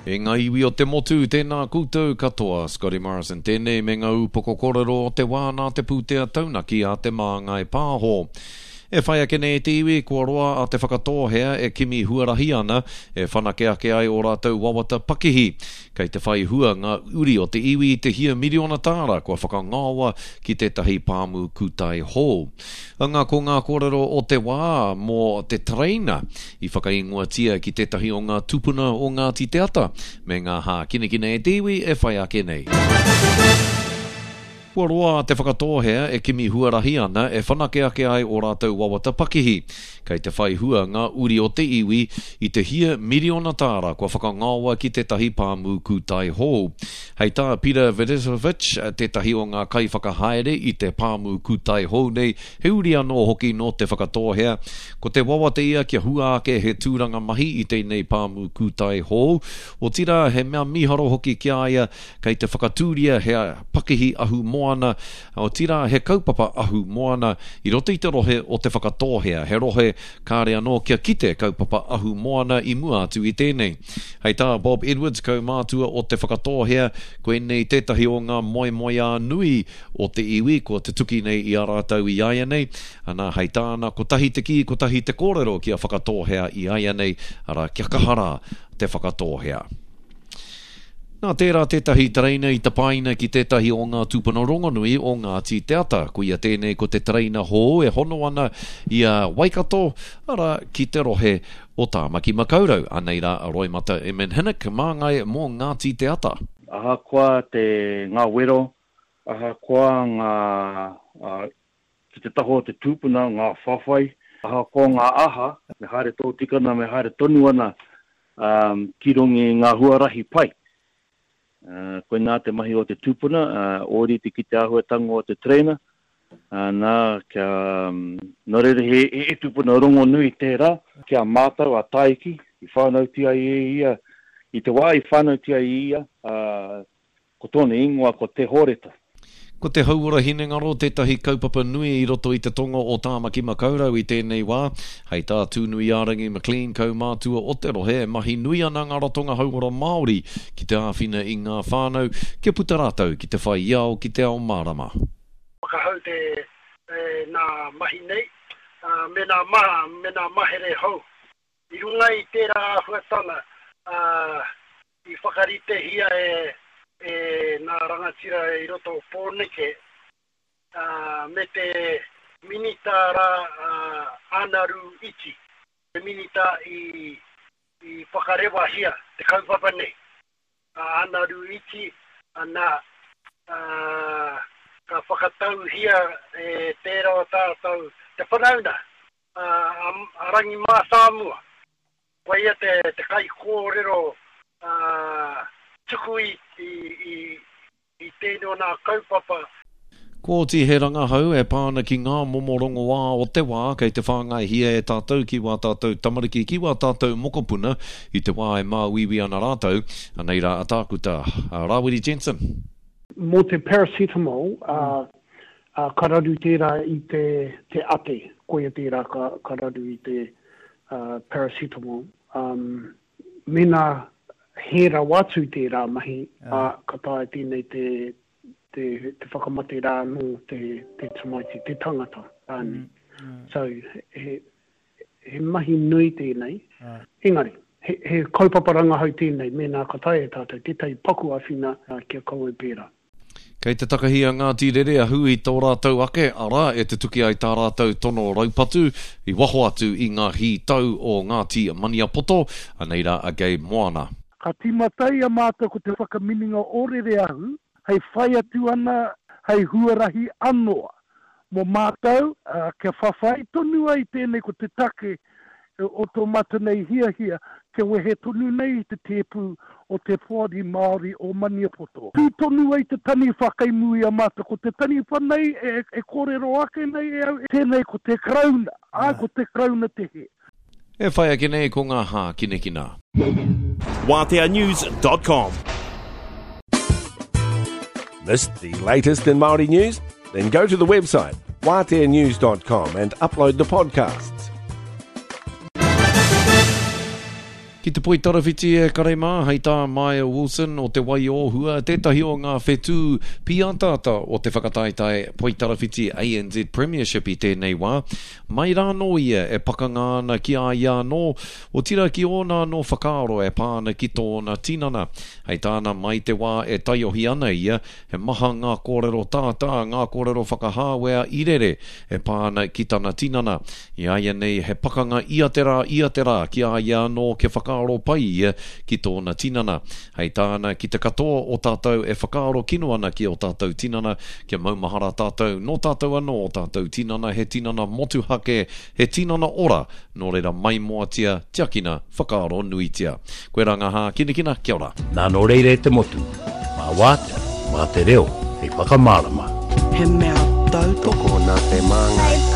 E ngā iwi o te motu, tēnā koutou katoa. Scotty Morrison tēnei me ngā ūpoko kōrero o te wā nā te pūtea taunaki a Te Māngai Pāho. E whai ake nei te iwi, kua roa a Te Whakatōhea e kimi huarahi ana e whanake ake ai ō rātou wawata pakihi. Kei te whai hua ngā uri o te iwi i te hia miriona tāra kua whakangaoa ki tētahi pāmu kūtai hou. Anga ko ngā kōrero o te wā mō te tereina i whakaingoatia ki tētahi o ngā tupuna o Ngāti Te Ata me ngā hākinakina e te iwi e whai ake nei. Kua roa a Te Whakatōhea e kimi huarahi ana e whanake ake ai ō rātou wawata pakihi. Kei te whai hua ngā uri o te iwi i te hia miriona tāra kua whakangaoa ki tētahi pāmu kūtai hou. Hei tā Peter Vidisovic, tētahi o ngā kaiwhakahaere i te pāmu kūtai hou nei, he uri anō hoki nō Te Whakatōhea, ko te wawata ia kia hua ake he tūranga mahi i tēnei pāmu kūtai hou, otirā he mea mīharo hoki ki a ia Kei te whakatūria he pakihi ahu moana, otirā he kaupapa ahu moana i roto i te rohe o Te Whakatōhea, he rohe kāre anō kia kite kaupapa ahu moana i mua atu i tēnei. Hei tā Bob Edwards, kaumātua o Te Whakatōhea, koinei tētahi o ngā moemoeā nui o te iwi kua tutuki nei i a rātou i āianei, ana, hei tāna, kotahi te kī, kotahi te kōrero ki a Whakatōhea i āianei, arā, kia kaha rā Te Whakatōhea. Nā tērā tētahi tereina i tapaina ki tētahi o ngā tūpuna rongonui o Ngāti Te Ata. Koia tēnei ko te tereina hou e hono ana i a Waikato, arā, ki te rohe o Tāmaki Makaurau. Anei rā a Roimata Eman-Hinnock, māngai mō Ngāti Te Ata. Ahakoa te ngā wero, ahakoa ngā, ki te taha o te tūpuna, ngā whawhai, ahakoa ngā aha, me haere tōtika ana, me haere tonu ana ki runga i ngā huarahi pai. Koinā te mahi o te tūpuna, ōrite ki te āhuatanga o te tereina, nā, kia, nō reira he, he tūpuna rongonui tērā, ki a mātou a Tāiki, i whānautia ai e ia, i te wā i whānautia ai e ia, Ko tōna ingoa ko Te Hōreta. Ko te hauora hinengaro tētahi kaupapa nui i roto i te tonga o Tāmaki Makaurau i tēnei wā. Hei tā Tūnuiārangi McLean, kaumātua o te rohe, e mahi nui ana ngā ratonga hauora Māori ki te āwhina i ngā whānau kia puta rātou ki te whai ao ki te ao mārama. Whakahau te nā mahi nei, me nā me nā mahere hou. I runga i tērā āhuatanga, i whakaritehia e nā rangatira i roto o Pōneke, me te minita rā a Anaru Iti, te minita i whakarewahia te kaupapa nei, a Anaru Iti, nā, ka whakatauhia e tērā o tātou te whanauna, a Rangi Mātāmua. Koia te, te kaikōrero tuku i, i, i, i tēnei o nā kaupapa. Kua oti he rangahau e pā ana ki ngā momo rongoā o te wā kei te whāngaihia e tātou ki wā tātou tamariki, ki wā tātou mokopuna i te wā e māuiui ana rātou. Anei rā a Tākuta, a Rāwiri Jensen. Mō te paracetamol, ā, ka raru tērā i te, te ate, koia tērā ka, ka raru i te paracetamol. Um, mēnā hē rawa atu tērā mahi, ā, ka taea tēnei te, te, te whakamate rā anō te, te tamaiti, te tangata rānei. So, he, he mahi nui tēnei. Engari, he, he kaupapa rangahau tēnei, mēnā ka taea e tātou tētahi paku āwhina kia kaua e pērā. Kei te takahi a Ngāti Rereahu i tō rātou ake ara e tutuki ai tā rātou tono raupatu i waho atu i ngā hītau o Ngāti Maniapoto, anei rā a Gabe Moana. Ka tīmata i a mātou ko te whakaminenga o Rereahu hei whai atu ana hei huarahi anoa mō mātou, ā, kia whawhai tonu ai tēnei ko te take o tō mātou nei hiahia kia wehe tonu nei i te tēpu o te Poari Māori o Maniapoto. Tū tonu ai te taniwha kei mua i a mātou, ko te taniwha nei e kōrero ake nei e au, tēnei ko te Karauna, āe ko te Karauna te hē. E whai ake nei ko ngā hākinakina. Waateanews.com. Missed the latest in Māori news? Then go to the website waateanews.com and upload the podcasts. Ki te poitarawhiti e kare mā, hei tā Maia Wilson o Te Wai-o-Hua, tētahi o ngā whetū pīataata o te whakataetae poitarawhiti ANZ Premiership i tēnei wā. Mai rānō ia e pakanga ana ki a ia anō, otirā ki ōna anō whakaaro e pā ana ki tōna tinana. Hei tāna, mai te wā e taiohi ana ia, He maha ngā kōrero tātā, ngā kōrero whakahāwea i rere e pā ana ki tana tinana. I a ia nei he pakanga ia te rā, ia te rā ki a ia anō kia whakaaro pai ia ki tōna tinana. Hei tāna, ki te katoa o tātou e whakaaro kino ana ki ō tātou tinana, kia maumahara tātou, nō tātou anō ō tātou tinana, he tinana motuhake, he tinana ora, nō reira maimoatia, tiakina, whakaaro nuitia. Koirā ngā hākinakina, kia ora. Nā nō reira e te motu, mā wātea, mā te reo hei whakamārama. He mea tautoko. Tokona te māngai.